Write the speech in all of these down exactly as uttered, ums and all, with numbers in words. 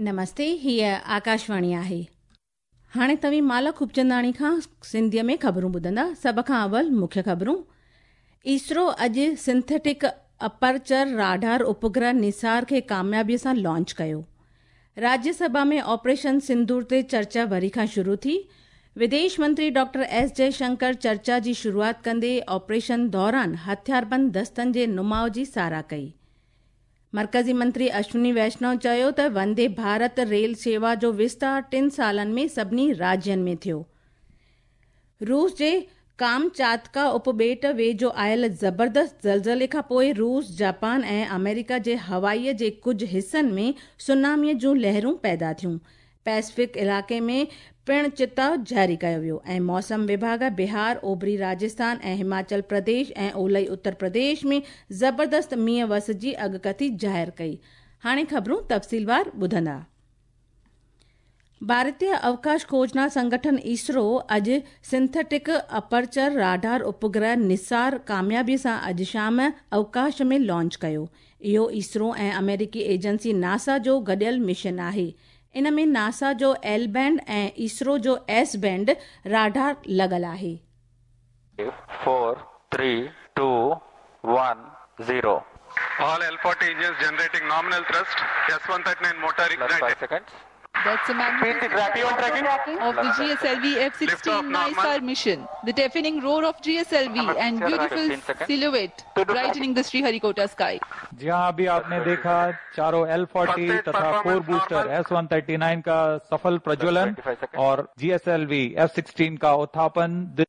नमस्ते, हीअ आकाशवाणी आहे। हाणे तव्हीं माला खूबचंदाणी खां सिंधीअ में ख़बरूं ॿुधंदा। सभ खां अवल मुख्य ख़बरूं। इसरो अॼु सिंथेटिक अपर्चर राडार उपग्रह निसार खे कामयाबीअ सां लॉन्च कयो। राज्यसभा में ऑपरेशन सिंदूर ते चर्चा वरी खां शुरू थी। विदेश मंत्री डॉक्टर एस जयशंकर चर्चा जी शुरूआत कंदे ऑपरेशन दौरान हथियारबंद दस्तनि जे नुमाउ जी सराह कई। मर्कज़ी मंत्री अश्विनी वैष्णव चयो त वंदे भारत रेल सेवा जो विस्तार टिनि सालनि में सभिनी राज्यनि में थियो। रूस जे कामचातका उपॿेट वेझो आयल ज़बरदस्त ज़लज़ले खां पोइ रूस, जापान ऐं अमेरिका जे हवाईअ जे कुझु हिसनि में सुनामीअ जूं लहरूं पैदा थियूं। पैसिफिक इलाइक़े में पिणु चिताव जारी कयो वियो ऐं मौसम विभाग बिहार, ओभरी राजस्थान ऐं हिमाचल प्रदेश ऐं ओलई उत्तर प्रदेश में ज़बरदस्त मींहुं वस जी अॻकथी ज़ाहिर कई। हाणे ख़बरूं तफ़सीलवार ॿुधंदा। भारतीय अवकाश खोजना संगठन इसरो अॼु सिंथेटिक अपर्चर राडार उपग्रह निसार कामयाबीअ सां अॼु शाम अवकाश में लॉन्च कयो। इहो इसरो ऐं अमेरिकी एजेंसी नासा जो गॾियल मिशन आहे। इन में नासा जो एल बैंड ऐं इसरो जो एस बैंड राडार लॻल आहे। Four, three, two, one, zero. All L forty engines generating nominal thrust. S one thirty-nine motor Plus five ignited. seconds. That's a magnificent tracking. of the G S L V F sixteen Lift off NISAR mission. The deafening roar of G S L V and beautiful fifteen seconds. silhouette brightening the Sriharikota sky. जी हाँ, अभी आपने देखा चारों L forty First तथा four performance booster normal. S one thirty nine का सफल प्रज्वलन twenty-five seconds. और G S L V F sixteen का उत्थापन।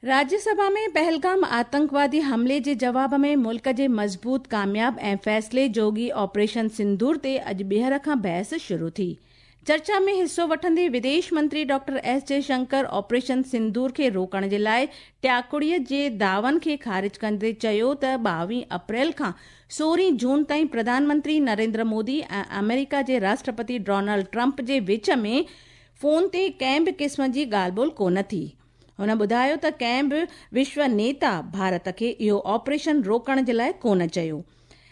राज्यसभा में पहलगाम आतंकवादी हमले जे जवाब में मुल्क जे मज़बूत, कामयाब ऐं फ़ैसिले जोगी ऑपरेशन सिंदूर ते अॼु ॿीहर खां बहस शुरू थी। चर्चा में हिसो वठंदे विदेश मंत्री doctor S Jaishankar operation Sindoor खे रोकण जे लाइ टियाकुड़ीअ जे दावन खे ख़ारिज कंदे चयो त ॿावीह अप्रैल खां सोरहं जून ताईं प्रधानमंत्री नरेंद्र मोदी ऐं अमेरिका जे राष्ट्रपति डोनाल्ड ट्रंप जे विच में फ़ोन ते कंहिं बि क़िस्म जी ॻाल्हि ॿोल कोन थी। हुन ॿुधायो त कंहिं बि विश्व नेता भारत खे इहो ऑपरेशन रोकण जे लाइ कोन चयो।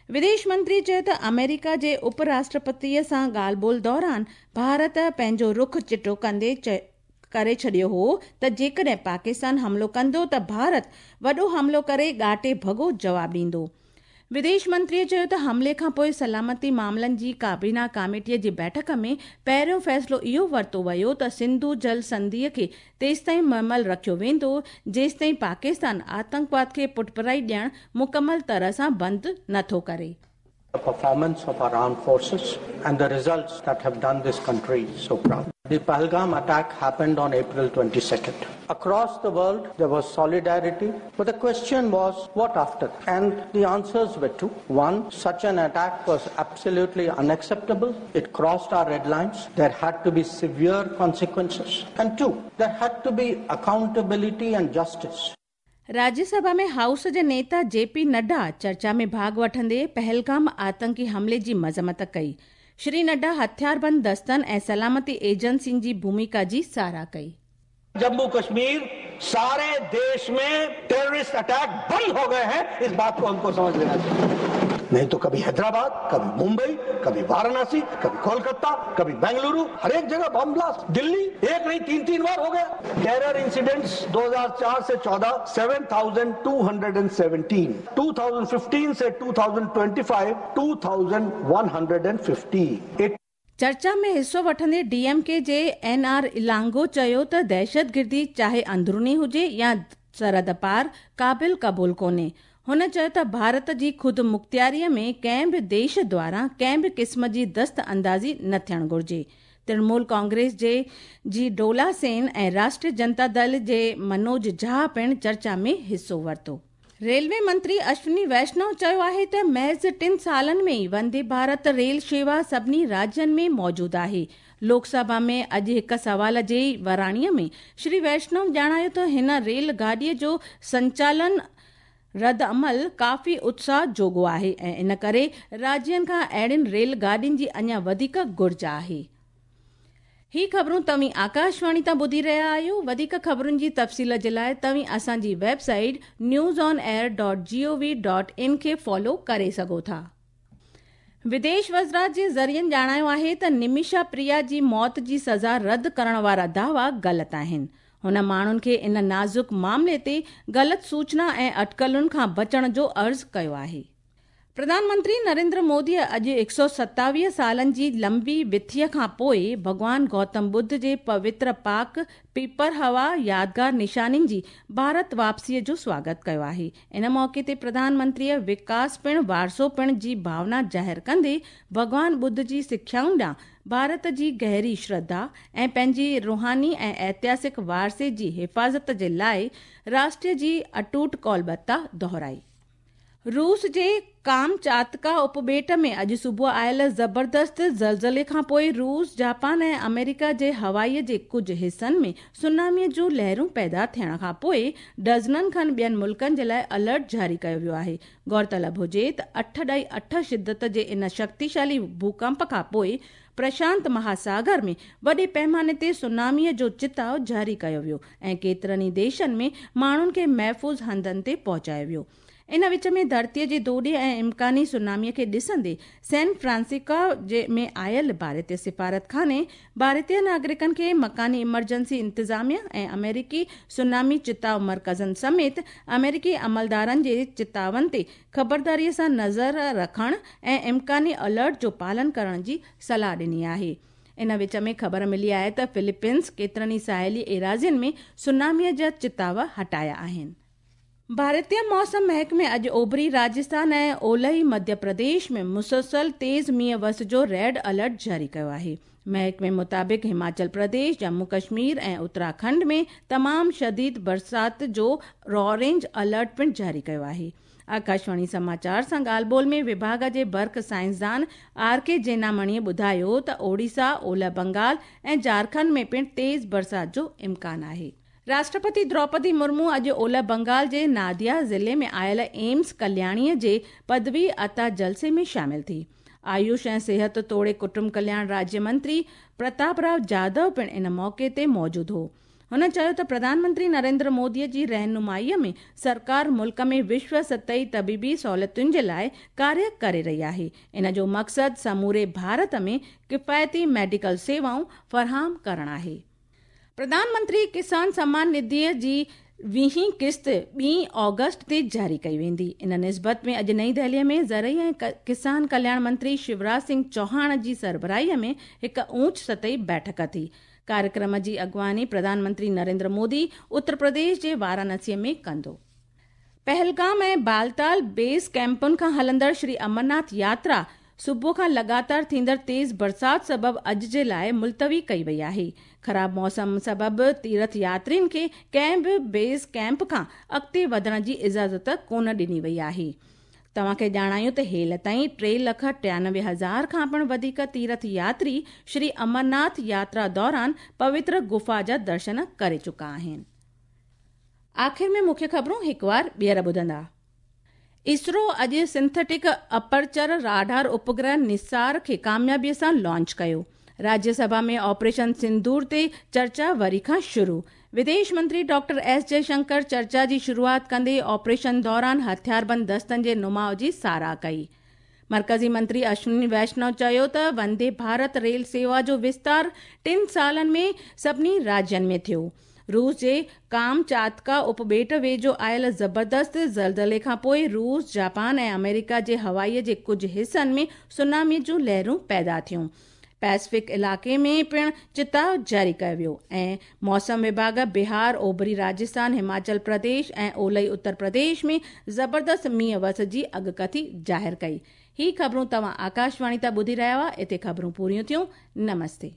विदेश मंत्री चयो त अमेरिका जे उपराष्ट्रपतीअ सां ॻाल्हि ॿोल दौरान भारत पंहिंजो रुख चिटो कंदे करे छॾियो हो त जेकॾहिं पाकिस्तान हमलो कंदो त भारत वॾो हमलो करे ॻाटे भॻो जवाब ॾींदो। विदेश मंत्रीअ चयो त हमले खां पोइ सलामती मामलनि जी काबीना कमेटीअ जी बैठक में पहिरियों फ़ैसिलो इहो वरितो वियो त सिंधु जल संधिअ खे तेसिताईं मुहमल रखियो वेंदो जेसिताईं पाकिस्तान आतंकवाद खे पुठभराई ॾियणु मुकमल तरह सां बंदि नथो करे। The performance of our armed forces and the results that have done this country so proud. The Pahalgam attack happened on April twenty-second. Across the world, there was solidarity, but the question was, what after? And the answers were two. One, such an attack was absolutely unacceptable. It crossed our red lines. There had to be severe consequences. And two, there had to be accountability and justice. Rajya Sabha में house जे नेता JP Nadda चर्चा में भाग वठंदे पहलगाम आतंकी हमले जी मज़म्मत कई। श्री नड्डा हथियारबंद दस्तनि ऐं सलामती एजेंसियुनि जी भूमिका जी सराह कई। जम्मू कश्मीर सारे देश में टेररिस्ट अटैक बंद हो गए हैं, इस बात को हमको समझ लेना चाहिए। नहीं तो कभी हैदराबाद, कभी मुंबई, कभी वाराणसी, कभी कोलकाता, कभी बेंगलुरु, हर एक जगह बम ब्लास्ट। दिल्ली एक नहीं तीन तीन बार हो गया। टेरर इंसिडेंट्स दो हज़ार चार से चौदह seven thousand two hundred seventeen, दो हज़ार पंद्रह से दो हज़ार पच्चीस दो हज़ार एक सौ पचास। चर्चा में हिसो वठंदे डीएमके जे एन आर इलांगो चयो त दहशतगिर्दी चाहे अंदरूनी हुजे या सरहद पार क़ाबिल क़बूल कोन्हे। हुन चयो त भारत जी ख़ुदि मुख़्तियारीअ में कंहिं बि देश द्वारा कंहिं बि क़िस्म जी दस्त अंदाज़ी न थियणु घुरिजे। तृणमूल कांग्रेस जे जी डोला सेन ऐं राष्ट्रीय जनता दल जे मनोज झा पिणु चर्चा में हिसो वरितो। रेलवे मंत्री अश्विनी वैष्णव चयो आहे त महज़ टिनि सालनि में ई वंदे भारत रेल सेवा सभिनी राज्यनि में मौजूदु आहे। लोकसभा में अॼु हिकु सवाल जे वराणीअ में श्री वैष्णव ॼाणायो त हिन रेल गाॾीअ जो संचालन रद्द अमल काफ़ी उत्साह जोॻो आहे ऐं इन करे राज्यनि खां अहिड़ियुनि रेल गाॾियुनि जी अञा वधीक घुर्ज आहे। ही ख़बरूं तव्हीं आकाशवाणी तां ॿुधी रहिया आहियो। वधीक ख़बरुनि जी तफ़सील जे लाइ तव्हीं असांजी website news on air dot G O V dot in खे फॉलो करे सघो था। विदेश वज़ारत जे ज़रियनि ॼाणायो आहे त निमिषा प्रिया जी मौत जी सज़ा रद्द करण वारा दावा ग़लति आहिनि। हुन माण्हुनि खे इन नाज़ुक मामले ते ग़लति सूचना ऐं अटकलुनि खां बचण जो अर्ज़ु कयो आहे। प्रधानमंत्री नरेंद्र मोदी अॼु हिकु सौ सतावीह सालनि जी लंबी विथीअ खां पोइ भॻवान गौतम बुद्ध जे पवित्र पाक पीपर हवा यादगार निशानियुनि जी भारत वापसीअ जो स्वागत कयो आहे। इन मौक़े ते प्रधानमंत्रीअ विकास पिणु वारसो पिणु जी भावना ज़ाहिर कंदे भॻवान बुद्ध जी सिख्याउनि ॾांहुं भारत जी गहरी श्रद्धा ऐं पंहिंजी रूहानी ऐं ऐतिहासिक वारसे जी हिफाज़त जे लाइ राष्ट्र जी अटूट कौलबता दोहराई। रूस जे कामचातका उपॿेट में अॼु सुबुह आयल ज़बरदस्त ज़लज़ले खां पोइ रूस, जापान ऐं अमेरिका जे हवाईअ जे कुझु हिसनि में सुनामीअ जूं लहरूं पैदा थियण खां पोइ डज़ननि खनि ॿियनि मुल्कनि जे लाइ अलर्ट जारी कयो वियो आहे। गौरतलब हुजे त अठ ॾाई अठ शिदत जे इन शक्तिशाली भूकंप खां पोइ प्रशांत महासागर में वॾे पैमाने ते सुनामीअ जो चिताव जारी कयो वियो ऐं केतिरनि ई देशनि में माण्हुनि खे महफ़ूज़ हंधनि ते पहुचायो वियो। इन विच में धरतीअ जे दोॾे ऐं इम्कानी सुनामीअ खे ॾिसंदे सैन फ्रांसिस्को जे में आयल भारतीय सिफारत खाने भारतीय नागरिकनि खे मकानी इमरजेंसी इंतिज़ामिया ऐं अमेरिकी सुनामी चिताव मर्कज़नि समेत अमेरिकी अमलदारनि जे चितावनि ते ख़बरदारीअ सां नज़र रखण ऐं इम्कानी अलर्ट जो पालन करण जी सलाह ॾिनी आहे। इन विच में ख़बर मिली आहे त फिलीपींस केतिरनि ई साहिली एराज़ियुनि में सुनामीअ जा चिताव हटाया आहिनि। भारतीय मौसम महकमे अॼु ओभरी राजस्थान ऐं ओलही मध्य प्रदेश में मुसलसल तेज़ मींहुं वस जो रेड अलर्ट जारी कयो आहे। महकमे मुताबिक़ हिमाचल प्रदेश, जम्मू कश्मीर ऐं उत्तराखंड में तमामु शदीद बरसात जो ऑरेंज अलर्ट पिणु जारी कयो आहे। आकाशवाणी समाचार सां ॻाल्हि ॿोल में विभाग जे बर्फ़ साइंसदान are के जेनामणीअ ॿुधायो त ओडिशा, ओलह बंगाल ऐं झारखंड में पिणु तेज़ बरसात जो इम्कान आहे। राष्ट्रपति द्रौपदी मुर्मू अॼु ओलह बंगाल जे नादिया ज़िले में आयल एम्स कल्याणीअ जे पदवी अता जलसे में शामिल थी। आयुष ऐं सिहत तोड़े कुटुंब कल्याण राज्य मंत्री प्रताप राव जाधव पिणु इन मौक़े ते मौजूदु हो। हुन चयो त प्रधानमंत्री नरेंद्र मोदीअ जी रहनुमाईअ में सरकार मुल्क में विश्व सतही तबीबी सहूलियतुनि जे लाइ कार्य करे रही आहे। इन जो मक़सदु समूरे भारत में किफ़ायती मेडिकल सेवाऊं फराहम करणु आहे। प्रधानमंत्री किसान सम्मान निधिअ जी वीहीं क़िस्त ॿी ऑगस्ट ते जारी कई वेंदी। इन निस्बत में अॼु नई दिल्लीअ में ज़रई ऐं किसान कल्याण मंत्री शिवराज सिंह चौहान जी सरबराहीअ में हिकु ऊंच सतही बैठक थी। कार्यक्रम जी अॻुवानी प्रधानमंत्री नरेंद्र मोदी उत्तर प्रदेश जे वाराणसीअ में कंदो। पहलगाम ऐं बालताल बेस कैंपनि खां हलंदड़ श्री अमरनाथ यात्रा सुबुह खां लगातार थींदड़ तेज़ बरसात सबबु अॼु जे लाइ मुलतवी कई वई आहे। ख़राब मौसम सबबु तीर्थ यात्रियुनि खे कंहिं बि बेस कैंप खां अॻिते वधण जी इजाज़त कोन ॾिनी वई आहे। तव्हांखे ॼाणायूं त हेल ताईं टे लख टियानवे हज़ार खां पिणु वधीक तीर्थ यात्री श्री अमरनाथ यात्रा दौरान पवित्र गुफा जा दर्शन करे चुका आहिनि। आख़िर में मुख्य ख़बरूं हिकु वार ॿीहर ॿुधंदा। इसरो अॼु सिंथेटिक अपर्चर राडार उपग्रह निसार खे कामयाबीअ सां लॉन्च कयो। राज्यसभा में ऑपरेशन सिंदूर ते चर्चा वरी खां शुरू। विदेश मंत्री डॉक्टर एस जयशंकर चर्चा जी शुरूआत कंदे ऑपरेशन दौरान हथियारबंद दस्तनि जे नुमाउ जी साराह कई। मर्कज़ी मंत्री अश्विनी वैष्णव चयो त वंदे भारत रेल सेवा जो विस्तार टिनि सालनि में सभिनी राज्यनि में थियो। रूस जे कामचातका उपॿेट वेझो आयल ज़बरदस्त ज़लज़ले खां पोइ रूस, जापान ऐं अमेरिका जे हवाईअ जे कुझु हिसनि में सुनामीअ जूं लहरूं पैदा थियूं। पैसिफिक इलाइक़े में पिणु चिताव जारी कयो वियो ऐं मौसम विभाग बिहार, ओभरी राजस्थान, हिमाचल प्रदेश ऐं ओलही उत्तर प्रदेश में ज़बरदस्त मींहुं वस जी अॻकथी ज़ाहिर कई। ही ख़बरूं तव्हां आकाशवाणी तां ॿुधी रहिया हुआ। हिते ख़बरूं पूरियूं थियूं। नमस्ते।